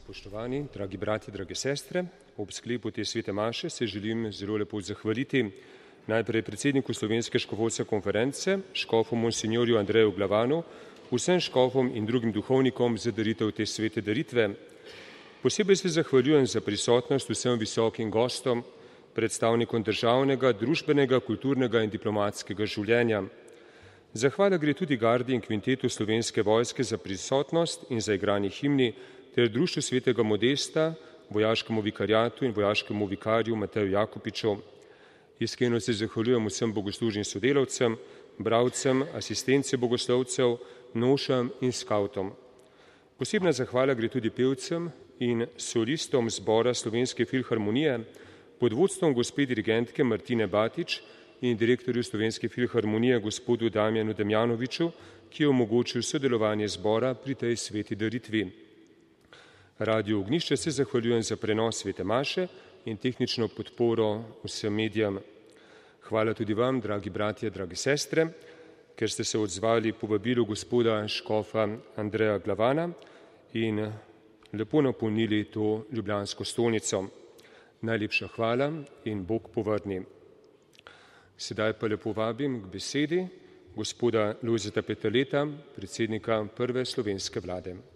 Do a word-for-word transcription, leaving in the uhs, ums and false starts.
Spoštovani, dragi bratje, drage sestre, ob sklepu te svete maše se želim zelo lepo zahvaliti najprej predsedniku Slovenske škofovske konference, škofu monsignorju Andreju Glavanu, vsem škofom in drugim duhovnikom za daritev te svete daritve. Posebej se zahvaljujem za prisotnost vsem visokim gostom, predstavnikom državnega, družbenega, kulturnega in diplomatskega življenja. Zahvala gre tudi gardi in kvintetu Slovenske vojske za prisotnost in za igranje himni ter društvu svetega Modesta, vojaškemu vikariatu in vojaškemu vikarju Mateju Jakopiču. Iskreno se zahvaljujem vsem bogoslužnim sodelavcem, bralcem, asistence bogoslovcev, nošam in skavtom. Posebna zahvala gre tudi pevcem in solistom zbora Slovenske filharmonije pod vodstvom gospe dirigentke Martine Batič in direktorju Slovenske filharmonije gospodu Damjanu Damjanoviču, ki je omogočil sodelovanje zbora pri tej sveti daritvi. Radio Ognjišče se zahvaljujem za prenos svete maše in tehnično podporo vsem medijem. Hvala tudi vam, dragi bratje, drage sestre, ker ste se odzvali povabilu gospoda škofa Andreja Glavana in lepo napolnili to ljubljansko stolnico. Najlepša hvala in Bog povrni. Sedaj pa lepo vabim k besedi gospoda Lojzeta Peterleta, predsednika prve slovenske vlade.